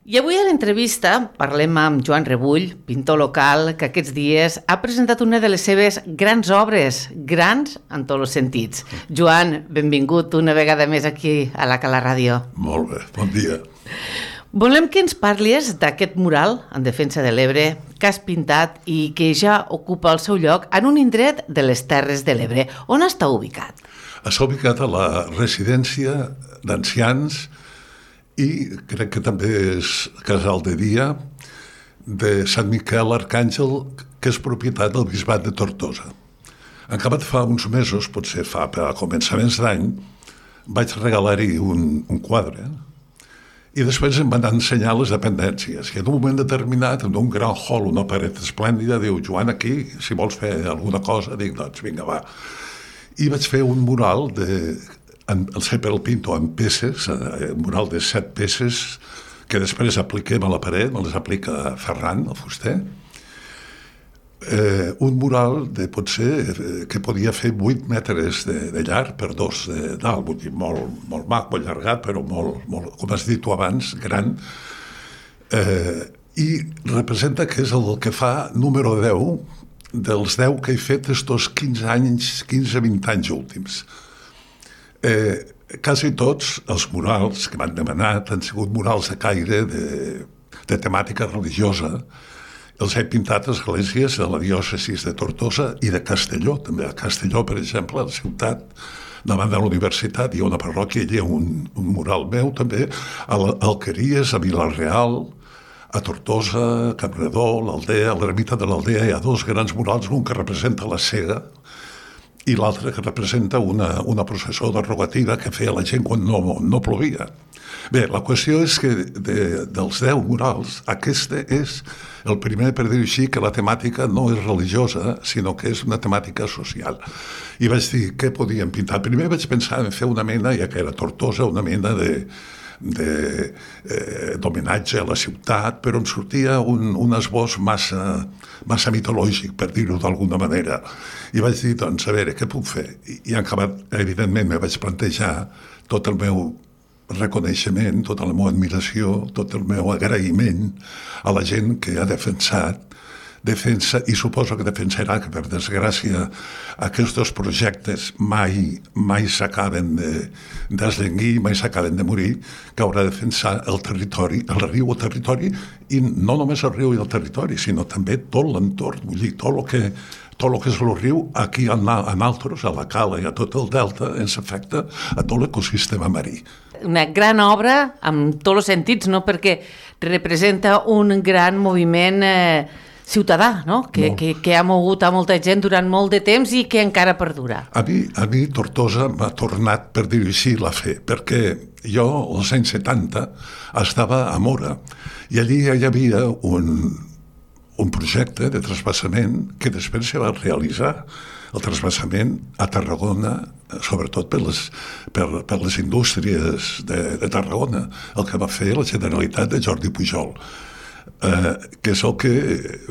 I avui a l'entrevista parlem amb Joan Rebull, pintor local, que aquests dies ha presentat una de les seves grans obres, grans en tots els sentits. Joan, benvingut una vegada més aquí a la Cala Ràdio. Molt bé, bon dia. Volem que ens parlis d'aquest mural en defensa de l'Ebre que has pintat i que ja ocupa el seu lloc en un indret de les Terres de l'Ebre. On està ubicat? Està ubicat a la residència d'ancians i crec que també és casal de dia de Sant Miquel Arcàngel, que és propietat del bisbat de Tortosa. En acabat fa uns mesos, potser fa a començaments d'any, vaig regalar-hi un quadre i després em van ensenyar les dependències. I en un moment determinat, en un gran hall, una paret esplèndida, diu, Joan, aquí, si vols fer alguna cosa, dic, doncs vinga, va. I vaig fer un mural sempre el pinto en peces, un mural de 7 peces, que després apliquem a la paret, me les aplica Ferran, el fuster. Un mural de potser que podia fer 8 metres de llarg per 2 d'alt, vull dir, molt mac, molt allargat, però molt, com has dit tu abans, gran. I representa que és el que fa número 10 dels 10 que he fet estos 15-20 anys últims. Quasi tots els murals que m'han demanat han sigut murals de caire de temàtica religiosa. Els he pintat a esglésies de la diòcesis de Tortosa i de Castelló, també. A Castelló, per exemple, a la ciutat, davant de la universitat, hi ha una parròquia, hi ha un mural meu, també, a Alqueries, a Vila-real, a Tortosa, a Campredó, l'Aldea, a l'ermita de l'Aldea, hi ha 2 grans murals, un que representa la cega i l'altre que representa una processó de rogativa que feia la gent quan no plovia. Bé, la qüestió és que dels 10 murals, aquest és el primer, per dir-ho així, que la temàtica no és religiosa, sinó que és una temàtica social. I vaig dir, què podíem pintar? Primer vaig pensar en fer una mena, ja que era Tortosa, una mena d'homenatge a la ciutat, però em sortia un esbós massa mitològic, per dir-ho d'alguna manera. I vaig dir, doncs, a veure, què puc fer? I en acabat, evidentment, me vaig plantejar tot el meu reconeixement, tota la meva admiració, tot el meu agraïment a la gent que ha defensa, i suposo que defensarà, que per desgràcia aquests projectes mai s'acaben d'eslenguir, mai s'acaben de morir, que haurà de defensar el territori, el riu o territori, i no només el riu i el territori, sinó també tot l'entorn, vull dir, tot el que és el riu, aquí a nosaltres, a la cala i a tot el delta, ens afecta a tot l'ecosistema marí. Una gran obra, amb tots els sentits, no? Perquè representa un gran moviment ciutadà, no? Que ha mogut a molta gent durant molt de temps i que encara perdura. A mi Tortosa m'ha tornat, per dir-ho així, la fe, perquè jo, als anys 70, estava a Mora, i allí hi havia un projecte de trasbassament que després se va realitzar, el trasbassament a Tarragona, sobretot per les indústries de Tarragona, el que va fer la Generalitat de Jordi Pujol, que és el que,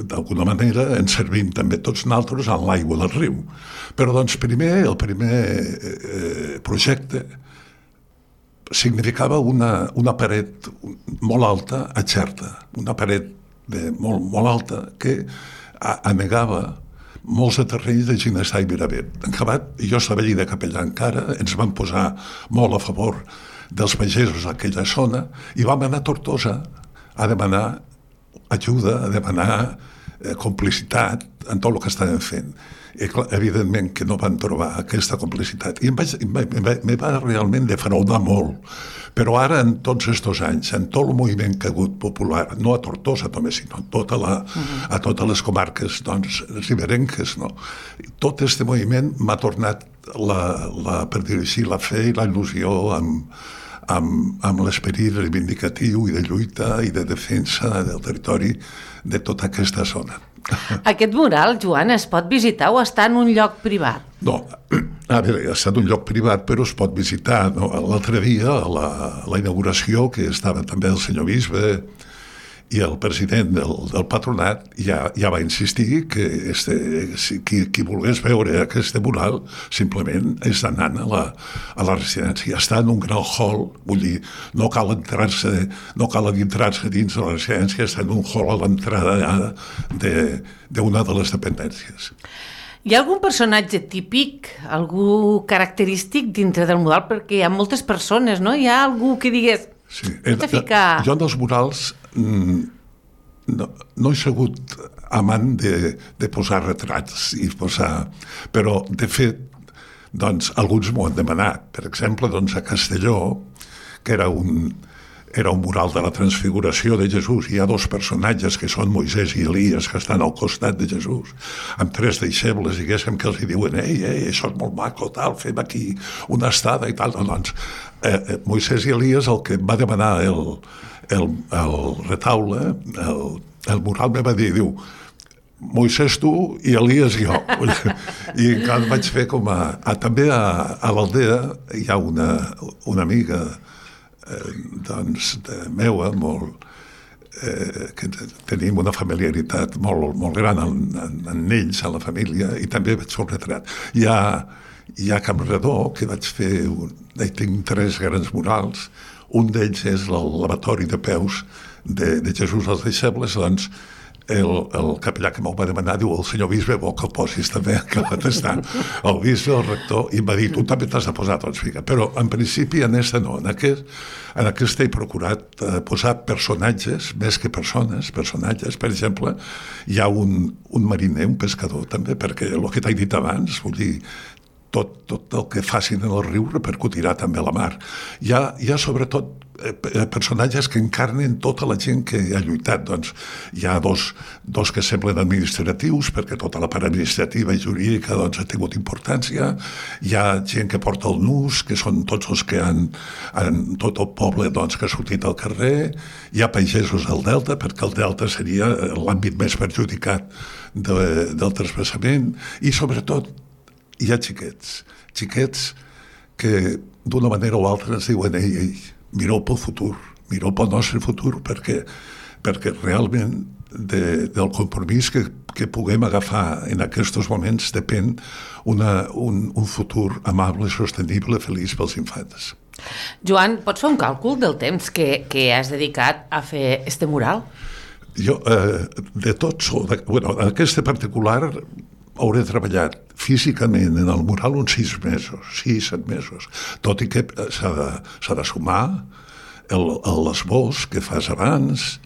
d'alguna manera, ens servim també tots nosaltres en l'aigua del riu. Però, doncs, el primer projecte significava una paret molt alta a Xerta, una paret molt alta que anegava molts de terrenys de Ginestar i Miravet. En acabat, jo estava allí de capellà encara, ens van posar molt a favor dels pagesos d'aquella zona i vam anar a Tortosa a demanar ajuda, a demanar complicitat en tot el que estàvem fent. I, clar, evidentment que no van trobar aquesta complicitat. I me va realment defraudar molt. Però ara, en tots aquests anys, en tot el moviment que ha hagut popular, no a Tortosa només, sinó a totes les comarques riberenques, no? Tot aquest moviment m'ha tornat, per dir-ho així, la fe i la il·lusió amb l'esperit reivindicatiu i de lluita i de defensa del territori de tota aquesta zona. Aquest mural, Joan, es pot visitar o està en un lloc privat? No, a veure, està en un lloc privat, però es pot visitar. No? L'altre dia, a la inauguració, que estava també el senyor bisbe i el president del patronat ja va insistir que qui volgués veure aquest mural simplement és anant a la residència. Està en un gran hall, vull dir, no cal adentrar-se dins de la residència, està en un hall a l'entrada d'una de les dependències. Hi ha algun personatge típic, algú característic dintre del mural? Perquè hi ha moltes persones, no? Hi ha algú que digués... Sí. Jo en els murals no he sigut amant de posar retrats però de fet doncs alguns m'ho han demanat. Per exemple, doncs, a Castelló, que era un mural de la transfiguració de Jesús, hi ha dos personatges que són Moisès i Elies que estan al costat de Jesús, amb 3 deixebles, diguéssim, que els diuen això és molt maco, tal, fem aquí una estada i tal. Doncs Moisès i Elies, el que va demanar el retaule, el mural me va dir, diu, Moisès tu i Elies jo. I encara vaig fer com també a l'Aldea hi ha una amiga doncs meua que tenim una familiaritat molt gran en ells, a la família, i també vaig fer un retrat. Hi ha Campredó, que vaig fer, tinc 3 grans murals, un d'ells és el lavatori de peus de Jesús als deixebles, doncs el capellà que m'ho va demanar diu, el senyor bisbe vol que el posis també, que va testar el bisbe, el rector, i em va dir, tu també t'has de posar, doncs fica. Però en principi en no, en aquest he procurat posar personatges més que personatges. Per exemple, hi ha un mariner, un pescador també, perquè el que t'he dit abans, vull dir, tot el que facin en el riu repercutirà també a la mar. Hi ha sobretot personatges que encarnen tota la gent que ha lluitat. Doncs hi ha dos que semblen administratius, perquè tota la part administrativa i jurídica doncs, ha tingut importància. Hi ha gent que porta el nus, que són tots els que han tot el poble doncs, que ha sortit al carrer. Hi ha pagesos del Delta, perquè el Delta seria l'àmbit més perjudicat del trasbassament. I sobretot hi ha xiquets que d'una manera o altra ens diuen ei, mireu pel futur, mireu pel nostre futur, perquè realment del compromís que puguem agafar en aquests moments depèn un futur amable, sostenible, feliç pels infants. Joan, pots fer un càlcul del temps que has dedicat a fer este mural? Jo, de tots, aquest particular hauré treballat físicament en el mural uns 6-7 mesos, tot i que s'ha de sumar l'esbós que fas abans,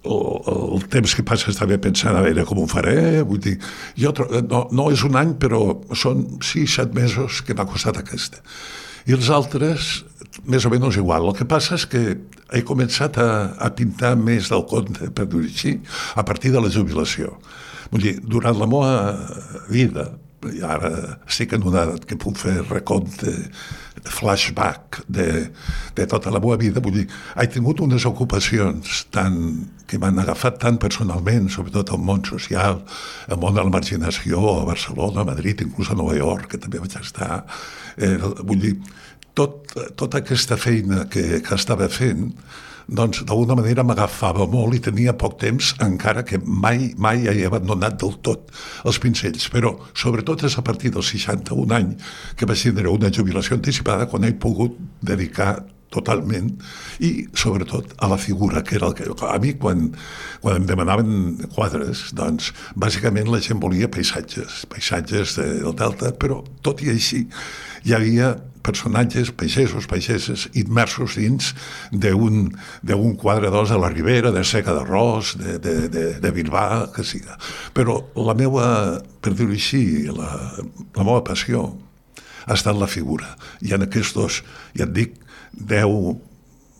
el temps que passes també pensant a veure com ho faré, vull dir, no és un any, però són 6-7 mesos que m'ha costat aquesta. I els altres, més o menys igual. El que passa és que he començat a pintar més del compte, per dir-ho així, a partir de la jubilació. Vull dir, durant la meva vida, i ara estic en una edat que puc fer recompte, flashback de tota la meva vida, vull dir, he tingut unes ocupacions que m'han agafat tant personalment, sobretot el món social, el món de la marginació, a Barcelona, a Madrid, inclús a Nova York, que també vaig estar. Vull dir, tota aquesta feina que estava fent, doncs d'alguna manera m'agafava molt i tenia poc temps, encara que mai he abandonat del tot els pincells, però sobretot és a partir dels 61 anys que vaig tindre una jubilació anticipada quan he pogut dedicar totalment i sobretot a la figura, que era el que a mi quan em demanaven quadres, doncs bàsicament la gent volia paisatges del Delta, però tot i així hi havia personatges, pageses, immersos dins d'un quadre de la Ribera, de Seca d'Arròs, de Bilbao, que siga. Però la meva, per dir-ho així, la meva passió ha estat la figura. I en aquests, ja et dic, 10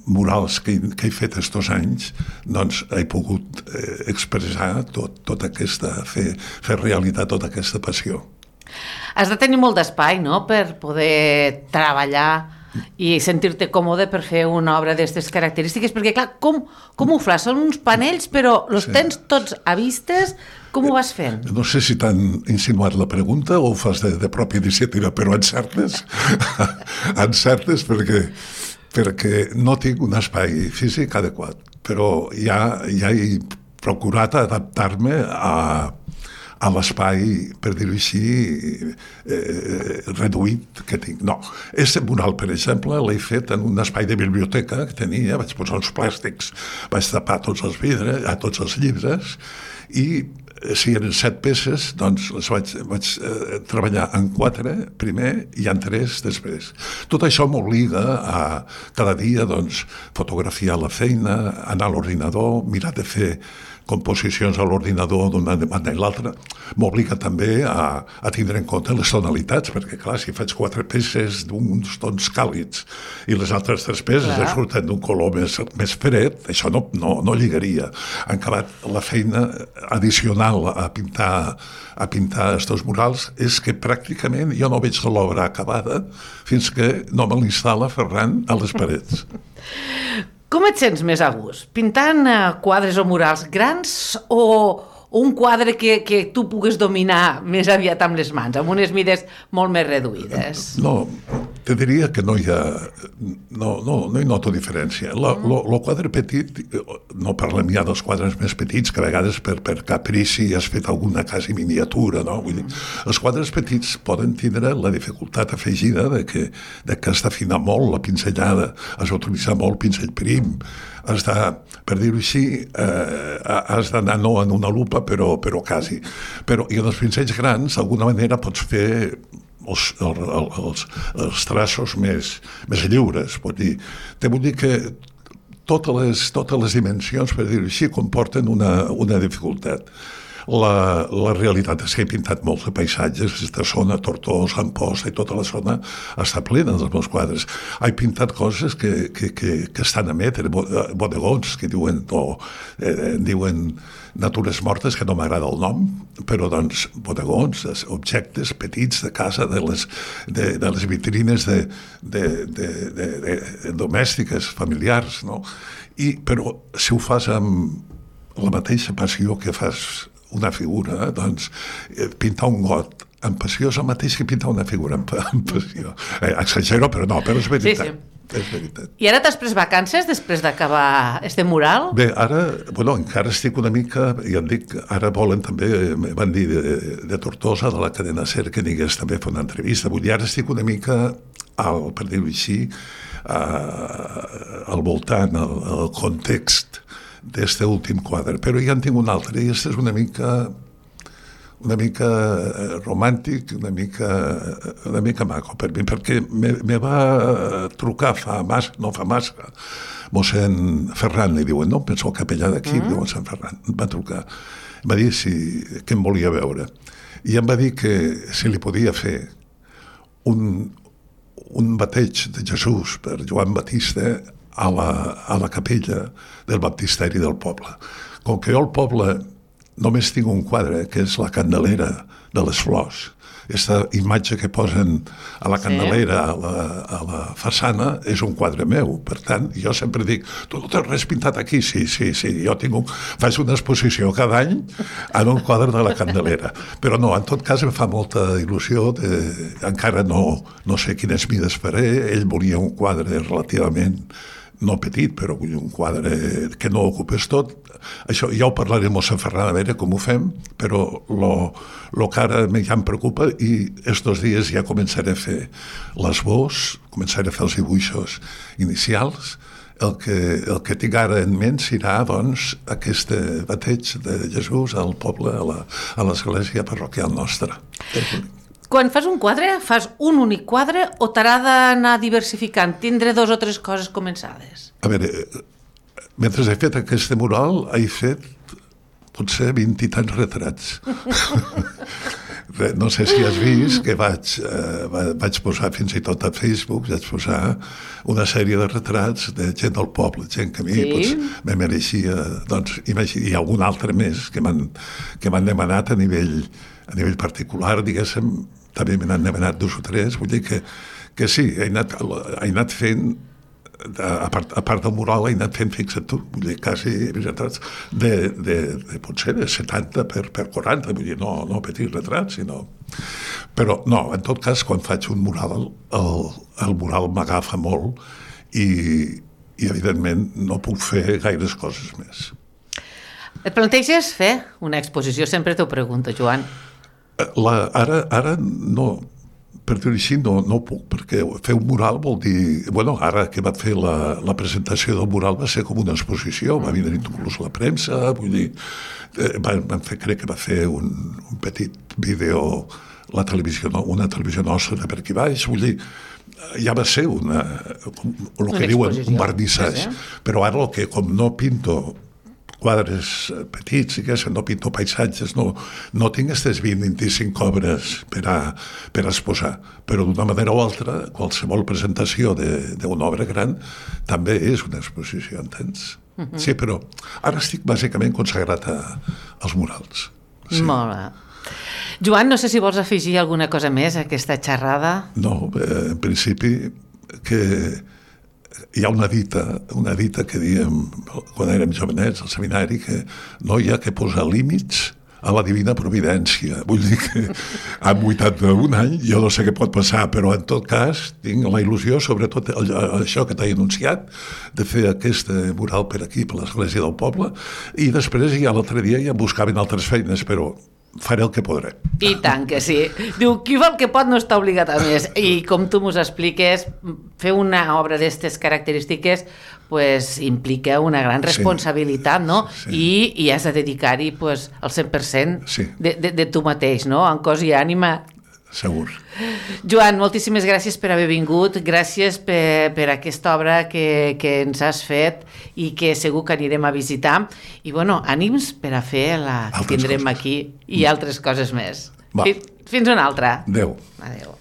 murals que he fet estos anys, doncs he pogut expressar tota aquesta, fer realitat tota aquesta passió. Has de tenir molt d'espai, no?, per poder treballar i sentir-te còmode per fer una obra d'aquestes característiques, perquè, clar, com ho fas? Són uns panells, però els tens tots a vistes? Com ho vas fent? No sé si t'han insinuat la pregunta o ho fas de pròpia iniciativa, però encertes perquè no tinc un espai físic adequat. però ja he procurat adaptar-me a l'espai, per dir-ho així, reduït que tinc. No, aquest mural, per exemple, l'he fet en un espai de biblioteca que tenia, vaig posar uns plàstics, vaig tapar tots els vidres, tots els llibres, i si eren 7 peces, doncs les vaig treballar en 4 primer i en 3 després. Tot això m'obliga a cada dia doncs, fotografiar la feina, anar a l'ordinador, mirar de fer composicions a l'ordinador d'una banda i l'altra. M'obliga també a tindre en compte les tonalitats, perquè clar, si faig 4 peces d'uns tons càlids i les altres 3 peces surten d'un color més fred, això no lligaria. Han acabat la feina addicional a pintar estos murals és que pràcticament jo no veig l'obra acabada fins que no me l'instal·la Ferran a les parets. Com et sents més a gust? Pintant quadres o murals grans o un quadre que tu pugues dominar més aviat amb les mans, amb unes mides molt més reduïdes? No, te diria que no hi noto diferència. El quadre petit, no parlem ja dels quadres més petits, que a vegades per caprici has fet alguna quasi miniatura, no? Vull dir, els quadres petits poden tindre la dificultat afegida de que has d'afinar molt la pinzellada, has d'utilitzar molt pinzell prim, has de, per dir-ho així, has d'anar no en una lupa, però quasi. I en els pincells grans, d'alguna manera, pots fer els traços més lliures. Vull dir que totes les dimensions, per dir-ho així, comporten una dificultat. La realitat és que he pintat molts de paisatges, aquesta zona, Tortós, Amposta i tota la zona està plena dels meus quadres. He pintat coses que estan a metre, bodegons, que diuen natures mortes, que no m'agrada el nom, però doncs bodegons, objectes petits de casa, de les vitrines domèstiques, familiars, no? Però si ho fas amb la mateixa passió que fas una figura, doncs pintar un got amb passió és el mateix que pintar una figura amb passió. Exagero, però és veritat. Sí. És veritat. I ara t'has pres vacances després d'acabar este mural? Bé, ara, encara estic una mica, ja et dic, ara volen també, van dir de Tortosa, de la cadena SER, que digués també fer una entrevista. Vull dir, ara estic una mica, per dir-ho així, al voltant, al context d'este últim quadre, però ja en tinc un altre, i este és una mica romàntic, una mica maco per mi, perquè me va trucar no fa massa, mossèn Ferran, li diuen, no? Penso el capellà d'aquí, diuen Sant Ferran, em va trucar, em va dir que em volia veure, i em va dir que si li podia fer un bateig de Jesús per Joan Batista a la capella del baptisteri del poble. Com que jo al poble només tinc un quadre, que és la Candelera de les Flors. Aquesta imatge que posen a la Candelera, a la façana, és un quadre meu. Per tant, jo sempre dic, tu no tens res pintat aquí? Sí, jo faig una exposició cada any en un quadre de la Candelera. Però no, en tot cas em fa molta il·lusió, encara no sé quines mides faré, ell volia un quadre relativament no petit, però un quadre que no ocupés tot. Això ja ho parlaré amb Sant Ferran, a veure com ho fem, però el que ara ja em preocupa, i estos dies ja començaré a fer l'esbós, començaré a fer els dibuixos inicials. El que tinc ara en ment serà, doncs, aquest bateig de Jesús al poble, a l'església parroquial nostra. Quan fas un quadre, fas un únic quadre o t'haurà d'anar diversificant, tindre 2 o 3 coses començades? A veure, mentre he fet aquest mural, he fet potser 20 i tants retrats. No sé si has vist que vaig posar fins i tot a Facebook, vaig posar una sèrie de retrats de gent del poble, gent que a mi me mereixia, doncs, i algun altre més que m'han demanat a nivell particular, diguéssim, també me n'han demanat 2 o 3, vull dir que sí, he anat fent, a part del mural, he anat fent, fixa't tu, vull dir, quasi retrats potser de 70 per 40, vull dir, no petits retrats, sinó... Però no, en tot cas, quan faig un mural, el mural m'agafa molt i i evidentment no puc fer gaires coses més. Et planteges fer una exposició? Sempre t'ho pregunto, Joan. Ara no, per dir-ho així, no puc, perquè fer un mural vol dir... Bueno, ara que va fer la presentació del mural va ser com una exposició, va venir inclús la premsa, vull dir... crec que va fer un petit vídeo una televisió nostra de per aquí baix, vull dir, ja va ser el que diuen un vernissatge, però ara com no pinto quadres petits, no pinto paisatges, no tinc aquestes 20-25 obres per exposar, però d'una manera o altra, qualsevol presentació d'una obra gran també és una exposició, entens? Sí, però ara estic bàsicament consagrat als murals. Molt bé. Joan, no sé si vols afegir alguna cosa més a aquesta xerrada. No, en principi que hi ha una dita que diem quan érem jovenets al seminari, que no hi ha que posar límits a la divina providència. Vull dir que amb 81 anys jo no sé què pot passar, però en tot cas tinc la il·lusió, sobretot això que t'he anunciat, de fer aquest mural per aquí, per l'església del poble, i després ja l'altre dia ja em buscaven altres feines, però faré el que podré. I tant que sí. Diu, qui fa el que pot no està obligat a més. I com tu mos expliques, fer una obra d'aquestes característiques pues, implica una gran responsabilitat, no? Sí. I has de dedicar-hi pues, el 100% de tu mateix, no? En cos i ànima. Segur. Joan, moltíssimes gràcies per haver vingut, gràcies per aquesta obra que ens has fet i que segur que anirem a visitar. I, bueno, ànims per a fer la que tindrem aquí i altres coses més. Fins una altra. Adéu. Adéu.